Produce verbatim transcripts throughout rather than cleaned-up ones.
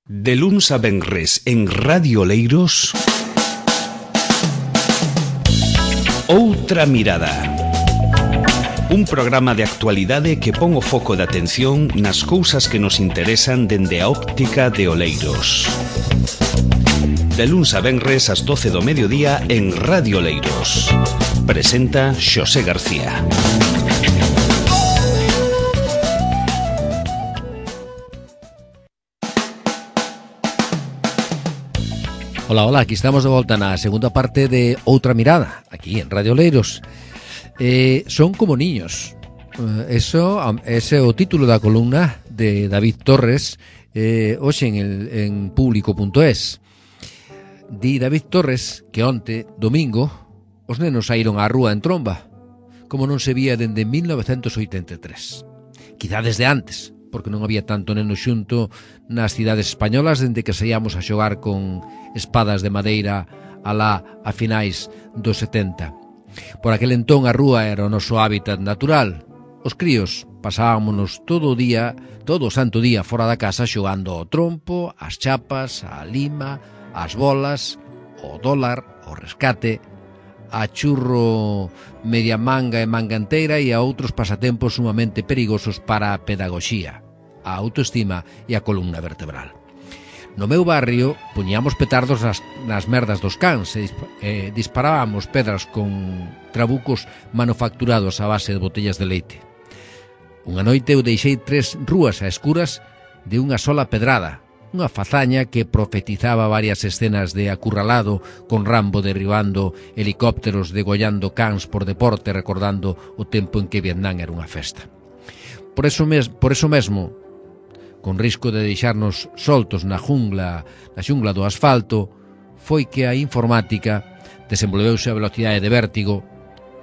De luns a venres en Radio Oleiros, Outra Mirada. Un programa de actualidade que pon o foco de atención nas cousas que nos interesan dende a óptica de Oleiros. De luns a venres ás doce do mediodía en Radio Oleiros. Presenta Xosé García. Hola, hola, aquí estamos de volta na segunda parte de Outra Mirada, aquí en Radio Oleiros. Eh, son como niños. Eh, eso, ese é o título da columna de David Torres, eh, hoxe en, el, en público punto es. Di David Torres que onte, domingo, os nenos saíron á rúa en tromba, como non se vía dende mil novecentos oitenta e tres. Quizá desde antes, porque non había tanto neno xunto nas cidades españolas dende que saíamos a xogar con espadas de madeira alá a finais dos setenta. Por aquel entón a rúa era o noso hábitat natural. Os críos pasábamos todo o día, todo o santo día fora da casa xogando ao trompo, ás chapas, á lima, ás bolas, ao dólar, ao rescate, a churro media manga e manga enteira e a outros pasatempos sumamente perigosos para a pedagogía, a autoestima e a columna vertebral. No meu barrio puñamos petardos nas, nas merdas dos cans e eh, disparábamos pedras con trabucos manufacturados a base de botellas de leite. Unha noite eu deixei tres rúas a escuras de unha sola pedrada, unha fazaña que profetizaba varias escenas de acurralado con Rambo derribando helicópteros, degollando cans por deporte, recordando o tempo en que Vietnam era unha festa. Por eso, mes, por eso mesmo, con risco de deixarnos soltos na jungla, na xungla do asfalto, foi que a informática desenvolveuse a velocidade de vértigo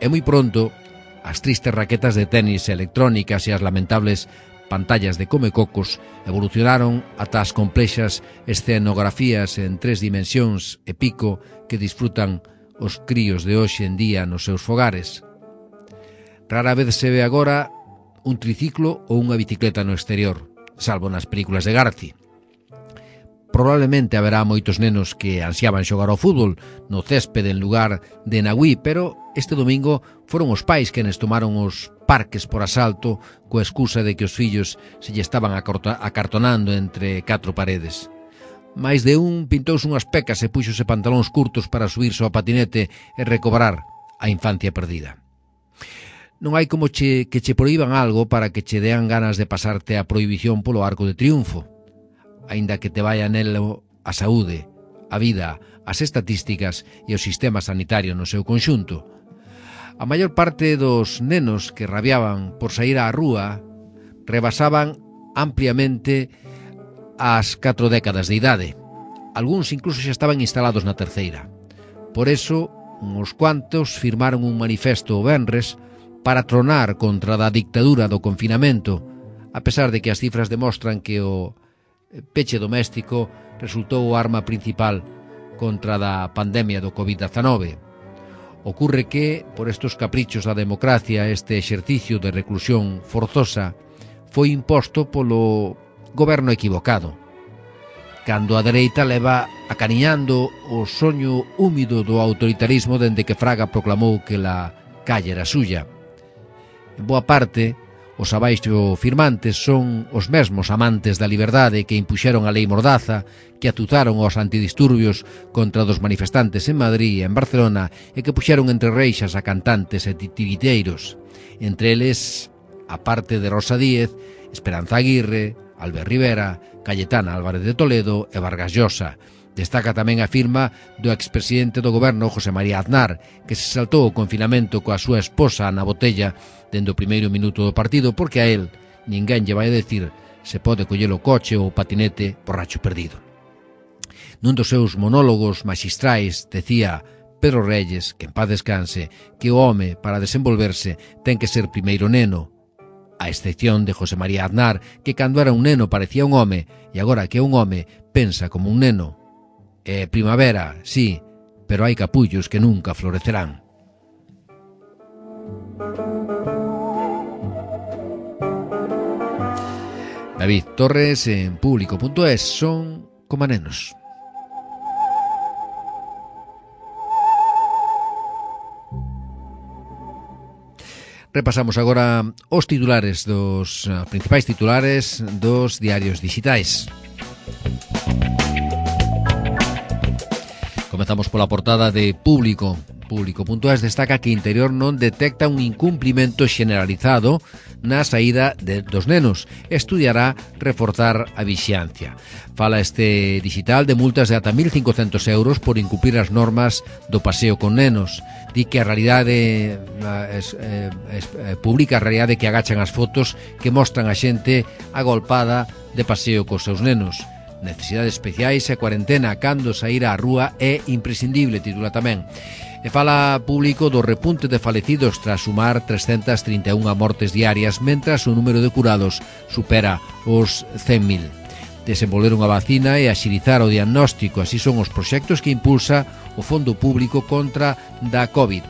e moi pronto as tristes raquetas de tenis electrónicas e as lamentables pantallas de comecocos evolucionaron ata as complexas escenografías en tres dimensións e pico que disfrutan os críos de hoxe en día nos seus fogares. Rara vez se ve agora un triciclo ou unha bicicleta no exterior, salvo nas películas de Garci. Probablemente haberá moitos nenos que ansiaban xogar ao fútbol no céspede en lugar de na Wii, pero este domingo foron os pais quenes tomaron os parques por asalto coa excusa de que os fillos se lle estaban acartonando entre catro paredes. Mais de un pintouse unhas pecas e puxose pantalóns curtos para subirse ao patinete e recobrar a infancia perdida. Non hai como che, que che proíban algo para que che dean ganas de pasarte a prohibición polo arco de triunfo, aínda que te vaya nelo a saúde, a vida, as estatísticas e o sistema sanitario no seu conxunto. A maior parte dos nenos que rabiaban por sair á rúa rebasaban ampliamente as catro décadas de idade. Algúns incluso xa estaban instalados na terceira. Por eso, uns cuantos firmaron un manifesto o venres para tronar contra a dictadura do confinamento, a pesar de que as cifras demostran que o peche doméstico resultou o arma principal contra a pandemia do covid dezenove. Ocurre que, por estes caprichos da democracia, este exercicio de reclusión forzosa foi imposto polo goberno equivocado, cando a dereita leva acariñando o soño húmido do autoritarismo dende que Fraga proclamou que la calle era suya. En boa parte, os abaixo firmantes son os mesmos amantes da liberdade que impuxeron a lei Mordaza, que atuzaron os antidisturbios contra dos manifestantes en Madrid e en Barcelona e que puxeron entre reixas a cantantes e titiriteiros. Entre eles, a parte de Rosa Díez, Esperanza Aguirre, Albert Rivera, Cayetana Álvarez de Toledo e Vargas Llosa. Destaca tamén a firma do expresidente do goberno José María Aznar, que se saltou o confinamento coa súa esposa na botella dende o primeiro minuto do partido, porque a él ninguén lle vai a decir se pode coller o coche ou o patinete borracho perdido. Nun dos seus monólogos maxistrais decía Pedro Reyes, que en paz descanse, que o home, para desenvolverse, ten que ser primeiro neno, a excepción de José María Aznar, que cando era un neno parecía un home e agora que é un home pensa como un neno. É primavera, sí, pero hai capullos que nunca florecerán. David Torres en público punto es. Son coma nenos. Repasamos agora os titulares dos uh, principais titulares dos diarios digitais. Comezamos pola portada de Público. Público.es destaca que Interior non detecta un incumplimento generalizado na saída de, dos nenos. Estudiará reforzar a vixiancia. Fala este digital de multas de ata mil cincocentos euros por incumplir as normas do paseo con nenos. Di que a realidade es, eh, es, eh, publica a realidade que agachan as fotos que mostran a xente agolpada de paseo cos seus nenos. Necesidades especiais e cuarentena cando saír á rúa é imprescindible, titula tamén. E fala Público do repunte de falecidos tras sumar trescentas trinta e unha mortes diarias, mentras o número de curados supera os cen mil. Desenvolver unha vacina e axilizar o diagnóstico, así son os proxectos que impulsa o Fondo Público contra da COVID.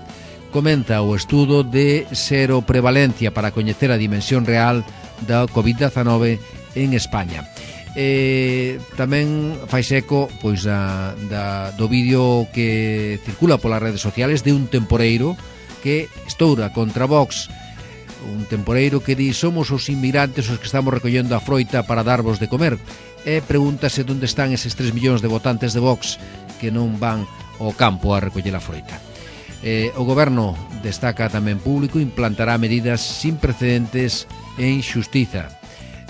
Comenta o estudo de seroprevalencia para coñecer a dimensión real da COVID dezenove en España. E tamén fai eco pois da, da, do vídeo que circula polas redes sociales de un temporeiro que estoura contra Vox, un temporeiro que di: somos os inmigrantes os que estamos recollendo a froita para darvos de comer, e pregúntase onde están eses tres millóns de votantes de Vox que non van ao campo a recoller a froita. Eh, o goberno, destaca tamén Público, implantará medidas sin precedentes en xustiza.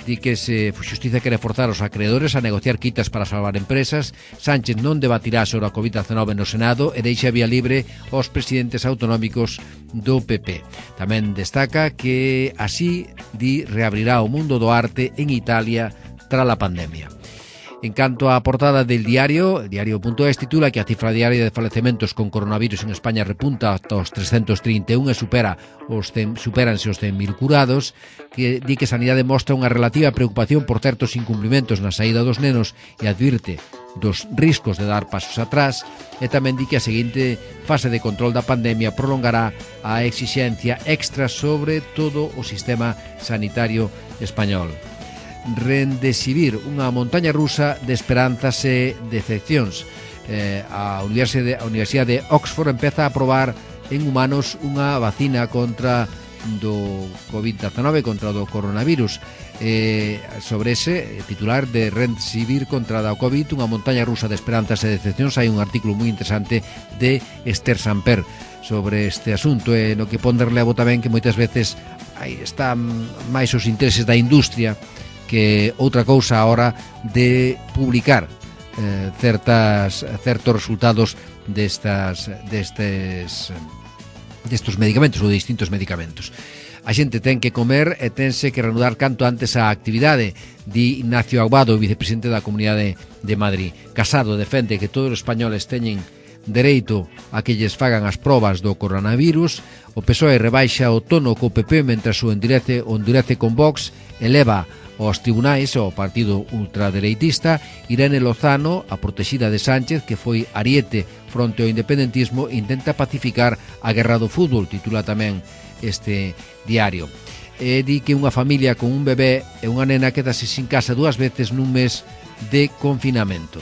Di que se xustiza quere forzar os acreedores a negociar quitas para salvar empresas. Sánchez non debatirá sobre a COVID dezenove no Senado e deixa vía libre aos presidentes autonómicos do P P. Tamén destaca que así, di, reabrirá o mundo do arte en Italia tras a pandemia. En canto á portada del diario, el diario.es titula que a cifra diaria de falecementos con coronavirus en España repunta ata os trescentos trinta e un e supera os cen, supéranse os cen mil curados, que di que Sanidade mostra unha relativa preocupación por certos incumplimentos na saída dos nenos e advirte dos riscos de dar pasos atrás, e tamén di que a seguinte fase de control da pandemia prolongará a exixencia extra sobre todo o sistema sanitario español. Rendesivir, unha montaña rusa de esperanzas e decepcións. Eh, a Universidade, a Universidade de Oxford empeza a probar en humanos unha vacina contra do COVID dezenove, contra do coronavirus. Eh, sobre ese titular de Rendesivir contra da COVID, unha montaña rusa de esperanzas e decepcións, hai un artículo moi interesante de Esther Samper sobre este asunto, e no que pon de relevo tamén que moitas veces aí están máis os intereses da industria que outra cousa a hora de publicar eh, certas, certos resultados destas, destes, destes medicamentos ou de distintos medicamentos. A xente ten que comer e tense que reanudar canto antes a actividade, di Ignacio Aguado, vicepresidente da Comunidade de Madrid. Casado defende que todos os españoles teñen dereito a que lles fagan as probas do coronavirus. O P S O E rebaixa o tono co P P mentras o endurece, o endurece con Vox, eleva aos tribunais ao partido ultradereitista. Irene Lozano, a protexida de Sánchez, que foi ariete fronte ao independentismo, intenta pacificar a guerra do fútbol, titula tamén este diario. E di que unha familia con un bebé e unha nena quedase sin casa dúas veces nun mes de confinamento.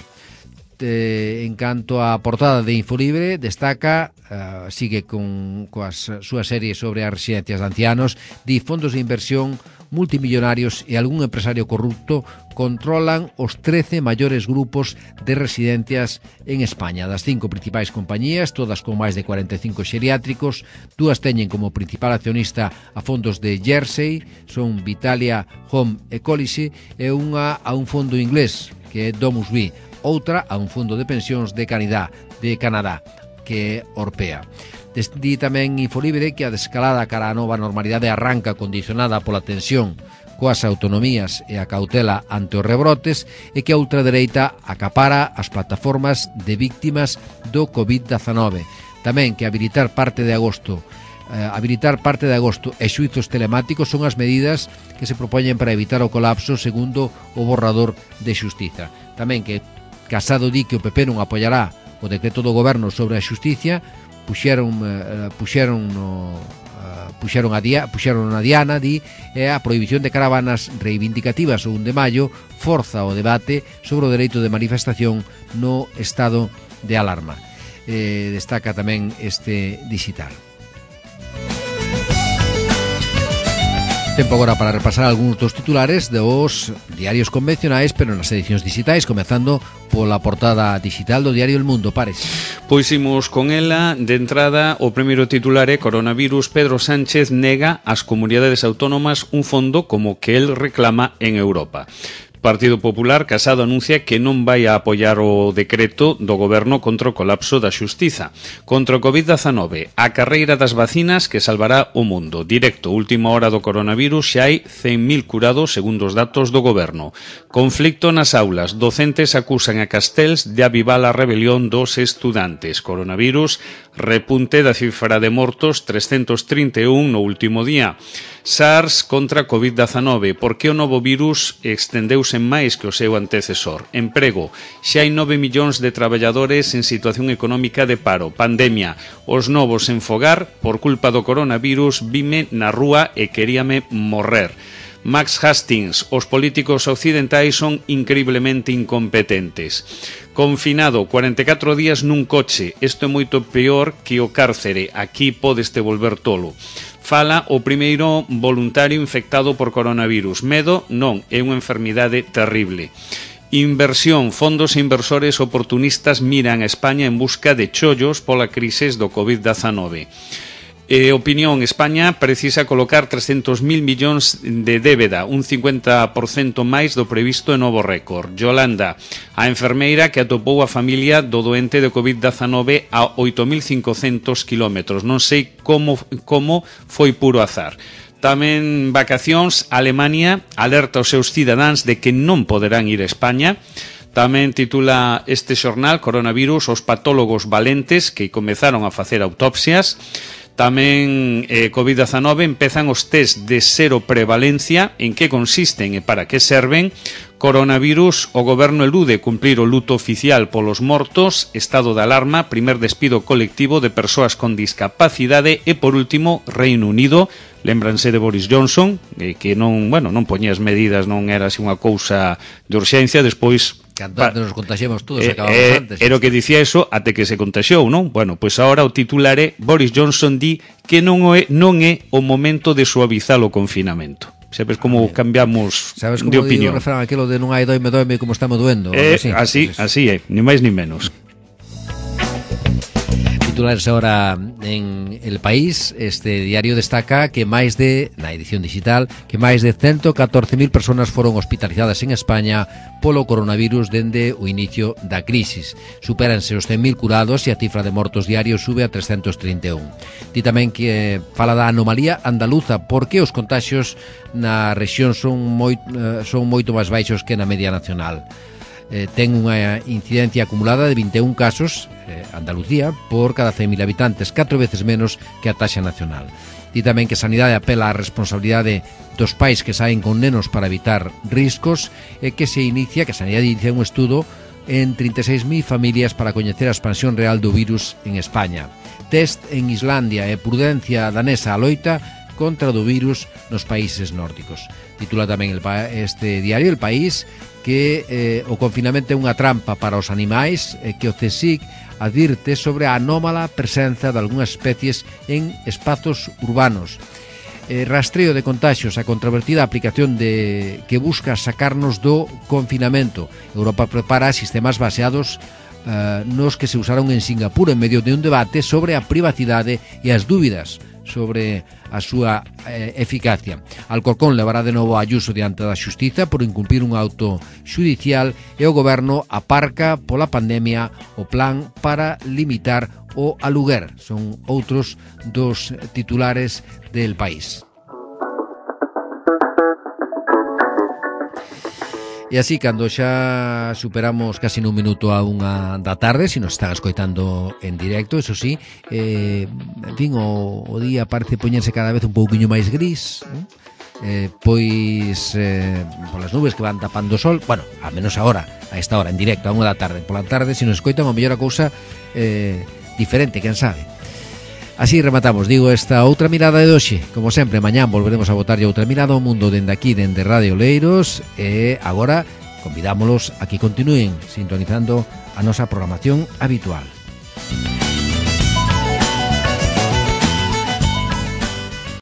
Eh, en canto á portada de Infolibre, destaca, uh, sigue con coas súas series sobre as residencias de ancianos, di fondos de inversión multimillonarios e algún empresario corrupto controlan os trece maiores grupos de residencias en España. Das cinco principais compañías, todas con máis de cuarenta e cinco xeriátricos, dúas teñen como principal accionista a fondos de Jersey, son Vitalia Home Ecology, e unha a un fondo inglés, que é Domus Vi, outra a un fondo de pensións de Canadá, de Canadá, que é Orpea. Di tamén Infolibre que a descalada cara á nova normalidade arranca condicionada pola tensión coas autonomías e a cautela ante os rebrotes, e que a ultradereita acapara as plataformas de víctimas do COVID dezenove. Tamén que habilitar parte de agosto eh, habilitar parte de agosto e xuizos telemáticos son as medidas que se propoñen para evitar o colapso, segundo o borrador de xustiza. Tamén que Casado di que o P P non apoiará o decreto do goberno sobre a xusticia. Puxeron, uh, puxeron no, uh, puxeron a, dia, puxeron a diana, di, e a prohibición de caravanas reivindicativas o un de maio forza o debate sobre o dereito de manifestación no estado de alarma. Eh, destaca tamén este digital. Tempo agora para repasar algúns dos titulares dos diarios convencionais, pero nas edicións digitais, comezando pola portada digital do diario El Mundo. Pares. Pois imos con ela. De entrada, o primeiro titular é coronavirus. Pedro Sánchez nega ás comunidades autónomas un fondo como que el reclama en Europa. Partido Popular, Casado anuncia que non vai a apoiar o decreto do goberno contra o colapso da xustiza. Contra o covid dezanove, a carreira das vacinas que salvará o mundo. Directo, última hora do coronavirus, xa hai cen mil curados segundo os datos do goberno. Conflicto nas aulas, docentes acusan a Castells de avivar a rebelión dos estudantes. Coronavirus, repunte da cifra de mortos, trescentos trinta e un no último día. SARS contra covid dezanove, por que o novo virus estendeuse máis que o seu antecesor? Emprego, xa hai nove millóns de traballadores en situación económica de paro. Pandemia, os novos en fogar, por culpa do coronavirus, vime na rúa e queríame morrer. Max Hastings, os políticos occidentais son increíblemente incompetentes. Confinado, cuarenta e catro días nun coche, isto é moito peor que o cárcere, aquí podeste volver tolo. Fala o primeiro voluntario infectado por coronavirus. Medo non, é unha enfermidade terrible. Inversión, fondos e inversores oportunistas miran a España en busca de chollos pola crise do covid dezanove. Eh, opinión, España precisa colocar trescentos mil millóns de débeda, un cincuenta por cento máis do previsto en novo récord. Yolanda, a enfermeira que atopou a familia do doente de covid dezanove a oito mil cincocentos kilómetros. Non sei como, como foi puro azar. Tamén vacacións, Alemania alerta aos seus cidadáns de que non poderán ir a España. Tamén titula este xornal, coronavirus, os patólogos valentes que comezaron a facer autopsias. Tamén eh, covid dezanove, empezan os test de cero prevalencia, en que consisten e para que serven. Coronavirus, o goberno elude cumplir o luto oficial polos mortos. Estado de alarma, primer despido colectivo de persoas con discapacidade. E por último, Reino Unido, lembranse de Boris Johnson, eh, que non, bueno, non poñía as medidas, non era así unha cousa de urxencia, despois Cando antes nos contaxemos todos, eh, acabamos eh, antes. Era o que dicía eso até que se contaxiou, non? Bueno, pois agora o titular é Boris Johnson di que non é, non é o momento de suavizar o confinamento. Sabes como ah, cambiamos ¿Sabes de opinión? Sabes como digo o refrán aquilo de non hai doime, doime como estamos doendo? Eh, así, así, así é, ni máis ni menos. Titulares ahora en El País. Este diario destaca que máis de, na edición digital, que máis de ciento catorce mil persoas foron hospitalizadas en España polo coronavirus dende o inicio da crisis. Supéranse os cen mil curados e a cifra de mortos diarios sube a trescentos trinta e un. Di tamén que fala da anomalía andaluza, porque os contaxios na rexión son, moi, son moito máis baixos que na media nacional. Eh, ten unha incidencia acumulada de vinte e un casos, eh, Andalucía, por cada cen mil habitantes, catro veces menos que a taxa nacional. Di tamén que Sanidade apela á responsabilidade dos pais que saen con nenos para evitar riscos e que se inicia, que Sanidade inicia un estudo en trinta e seis mil familias para coñecer a expansión real do virus en España. Test en Islandia e prudencia danesa a loita contra o do virus nos países nórdicos. Titula tamén el, este diario El País que eh, o confinamento é unha trampa para os animais e que o CSIC advirte sobre a anómala presenza de algunhas especies en espazos urbanos. Eh, rastreo de contaxios, a controvertida aplicación de que busca sacarnos do confinamento. Europa prepara sistemas baseados eh, nos que se usaron en Singapur en medio de un debate sobre a privacidade e as dúbidas sobre a súa eh, eficacia. Alcorcón levará de novo a Ayuso diante da xustiza por incumprir un auto xudicial e o goberno aparca pola pandemia o plan para limitar o aluguer. Son outros dos titulares del País. E así, cando xa superamos casi nun minuto a unha da tarde, se nos están escoitando en directo, eso sí, eh, en fin, o, o día parece poñerse cada vez un pouquiño máis gris, eh, pois eh, polas nubes que van tapando o sol, bueno, a menos agora, a esta hora, en directo, a unha da tarde. Pola tarde, se nos escoitan, a mellor a cousa eh, diferente, quen sabe. Así rematamos, digo, esta outra mirada de hoxe. Como sempre, mañán volveremos a botarlle outra mirada ao mundo dende aquí, dende Radio Oleiros. E agora convidámolos a que continúen sintonizando a nosa programación habitual.